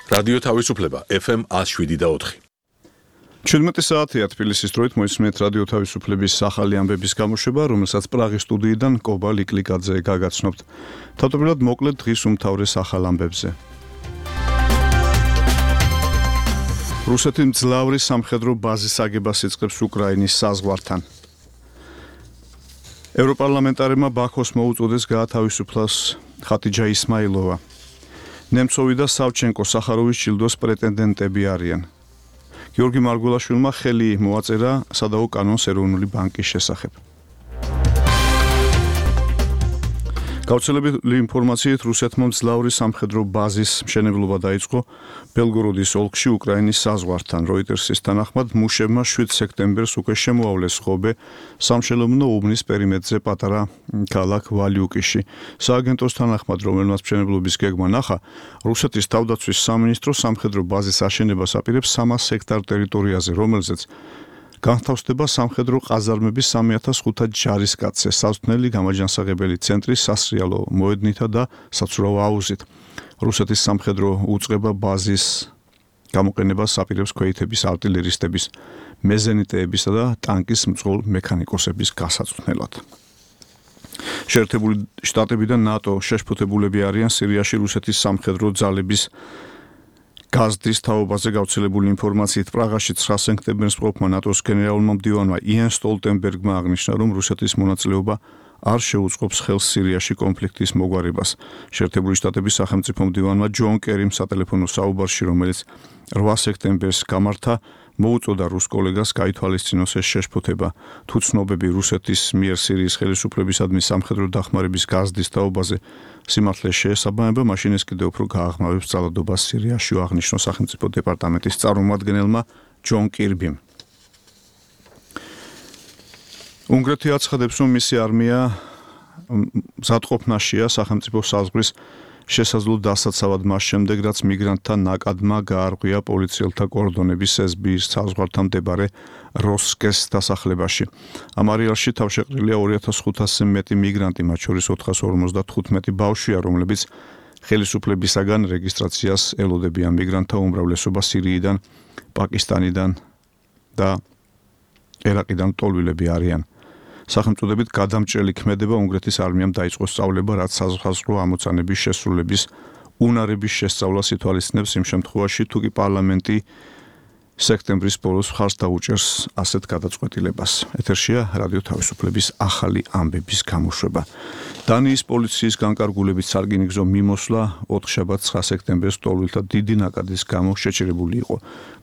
რადიო თავისუფლება FM 107.4. 17 საათია თბილისის დროით მოისმენთ რადიო თავისუფლების ახალი ამბების გამოშვება, რომელსაც პრაღის სტუდიიდან კობა ლიკლიკაძე გაგაცნობთ. თავდაპირველად მოკლედ დღის უმთავრეს ახალ ამბებზე. რუსეთი მძლავრი სამხედრო ბაზის აგებას იწყებს უკრაინის საზღვართან. ევროპარლამენტარებმა ბაქოს მოუწოდეს გაათავისუფლოს ხატიჯა ისმაილოვა. ნემცოვი და სავჩენკო სახაროვის ჯილდოს პრეტენდენტები არიან. გიორგი მარგველაშვილმა ხელი მოაწერა სადაო კანონს ეროვნული ბანკის შესახებ. გავრცელებული ინფორმაციით რუსეთმა მძლავრი სამხედრო ბაზის მშენებლობა დაიწყო ბელგოროდის ოლქში უკრაინის საზღვართან. როიტერსის თანახმად მუშებმა 7 სექტემბერს უკვე შემოავლეს ხობე სამშენებლო უბნის პერიმეტრზე პატარა ქალაქ ვალიუკიში. სააგენტოს თანახმად, რომელმაც მშენებლობის გეგმა ნახა, რუსეთის თავდაცვის სამინისტრო სამხედრო ბაზის აშენებას აპირებს 300 ჰექტარ ტერიტორიაზე, რომელზეც განთავსდება სამხედრო ყაზარმების 3500 ჯარისკაცზე, სასწავლელი გამაჯანსაღებელი ცენტრი სასრიალო მოედნითა და საცურაო აუზით. რუსეთის სამხედრო უწყება ბაზის გამოყენებას აპირებს ქვეითების არტილერისტების, მეზენიტეებისა და ტანკის მძღოლ მექანიკოსების გასაწვდნელად. შეერთებული შტატები და ნატო შეშფოთებულები არიან სირიაში რუსეთის სამხედრო ძალების გაზდის თაობაზე გავრცელებული ინფორმაციით. პრაღაში 9 სექტემბერს მყოფმა ნატოს გენერალურმა მდივანმა იენ სტოლტენბერგმა აღნიშნა, რომ რუსეთის მონაწილეობა არ შეუწყობს ხელს სირიაში კონფლიქტის მოგვარებას. შეერთებული შტატების სახელმწიფო მდივანმა ჯონ კერიმ სატელეფონო საუბარში, რომელიც 8 სექტემბერს გამართა, მოუწოდა რუს კოლეგას გაითვალისწინოს ეს შეშფოთება. თუ ცნობები რუსეთის მიერ სირიის ხელისუფლებისადმი სამხედრო დახმარების გაზდის თაობაზე სიმართლეს შეესაბამება, მაშინ ეს კიდევ უფრო გააღრმავებს ძალადობას სირიაში, აღნიშნო სახელმწიფო დეპარტამენტის წარმომადგენელმა ჯონ კირბიმ. უნგრეთი აცხადებს, რომ მისი არმია მზადყოფნაშია სახელმწიფო საზღვრის შესაძლო დასაცავად მას შემდეგ, რაც მიგრანტთა ნაკადმა გაარღვია პოლიციელთა კორდონების SB-ის საზღვართან მდებარე როსკეს დასახლებაში. ამ არეალში თავშეყრილია 2500-ზე მეტი მიგრანტი, მათ შორის 455 ბავშვია, რომლებიც ხელისუფლებისაგან რეგისტრაციას ელოდებიან. მიგრანტთა უმრავლესობა სირიიდან, პაკისტანიდან და ერაყიდან ტოლვილები არიან. სახელმწოდებით გადამჭრელი ქმედება უნგრეთის არმიამ დაიწყო სწავლება, რაც საზღვაო ამოცანების შესრულების უნარების შესწავლას ითვალისწინებს იმ შემთხვევაში, თუ კი პარლამენტი სექტემბრის ბოლოს მხარს დაუჭერს ასეთ გადაწყვეტილებას. ეთერშია რადიო თავისუფლების ახალი ამბების გამოშვება. დანიის პოლიციის განკარგულებით სარკინიგზო მიმოსვლა 4 შაბათს 9 სექტემბერს ტოლვილთა დიდი ნაკადის გამო შეჩერებული იყო.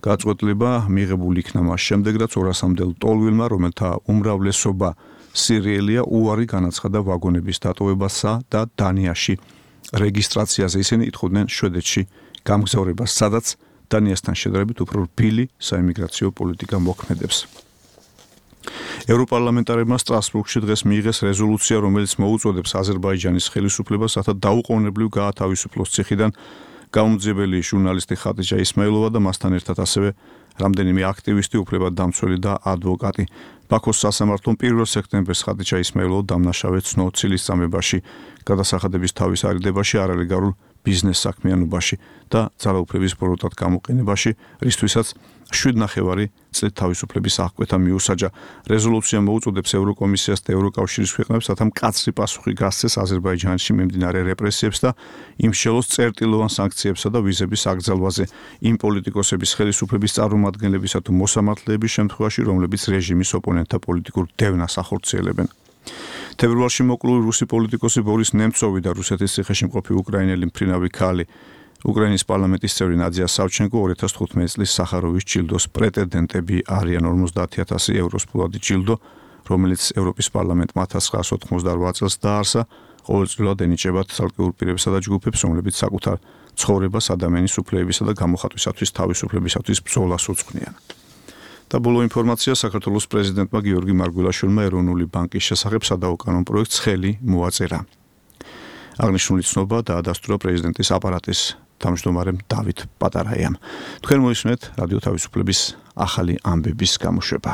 გადაწყვეტილება მიღებული იქნა მას შემდეგ, რაც 200-მდე ტოლვილმა, რომელთა უმრავლესობა სირიელია, უარი განაცხადა ვაგონების დატოვებასა და დანიაში რეგისტრაციაზე. ისინი ითხოვდნენ შვედეთში გამგზავრებას, სადაც დანიასთან შედარებით უფრო რბილი საიმიგრაციო პოლიტიკა მოქმედებს. ევროპარლამენტარებმა სტრასბურგში დღეს მიიღეს რეზოლუცია, რომელიც მოუწოდებს აზერბაიჯანის ხელისუფლებას, რათა დაუყოვნებლივ გაათავისუფლოს ციხიდან გამომძიებელი ჟურნალისტი ხატიჯა ისმაილოვა და მასთან ერთად ასევე რამდენიმე აქტივისტი, უფლებადამცველი და ადვოკატი. ბაქოს სასამართლომ 1 სექტემბერს ხატიჯა ისმაილოვა დამნაშავედ ცნო ცილისწამებაში, გადასახადების თავის არიდებაში, არალეგალურ ბიზნეს საქმიანობაში და ძალაუფლების ბოროტად გამოყენებაში, რისთვისაც 7,5 წლით თავისუფლების აღკვეთა მიუსაჯა. რეზოლუცია მოუწოდებს ევროკომისიას და ევროკავშირის ქვეყნებს, რათა მკაცრი პასუხი გასცეს აზერბაიჯანში მიმდინარე რეპრესიებს და იმსჯელოს წერტილოვან სანქციებსა და ვიზების აკრძალვაზე იმ პოლიტიკოსების ხელისუფლების წარმომადგენლებისა თუ მოსამართლეების შემთხვევაში, რომლებიც რეჟიმის ოპონენტთა პოლიტიკურ დევნას ახორციელებენ. თებერვალში მოკლული რუსი პოლიტიკოსი ბორის ნემცოვი და რუსეთის ციხეში მყოფი უკრაინელი მფრინავი ქალი, უკრაინის პარლამენტის წევრი ნადია სავჩენკო 2015 წლის სახაროვის ჯილდოს პრეტენდენტები არიან. 50,000 ევროს ფულადი ჯილდო, რომელიც ევროპის პარლამენტმა 1988 წელს დაარსა, ყოველწლიურად ენიჭებათ ცალკეულ პირებსა და ჯგუფებს, რომლებიც საკუთარ ცხოვრებას ადამიანის უფლებებისა და გამოხატვისათვის თავისუფლებისათვის ბრძოლას უძღვნიან. და ბოლო ინფორმაცია საქართველოს პრეზიდენტმა გიორგი მარგველაშვილმა ეროვნული ბანკის შესახებ სადაო კანონ პროექტს ხელი მოაწერა. აღნიშნული ცნობა დაადასტურა პრეზიდენტის აპარატის თავმჯდომარემ დავით პატარაიამ. თქვენ მოისმენთ რადიო თავისუფლების ახალი ამბების გამოშვება.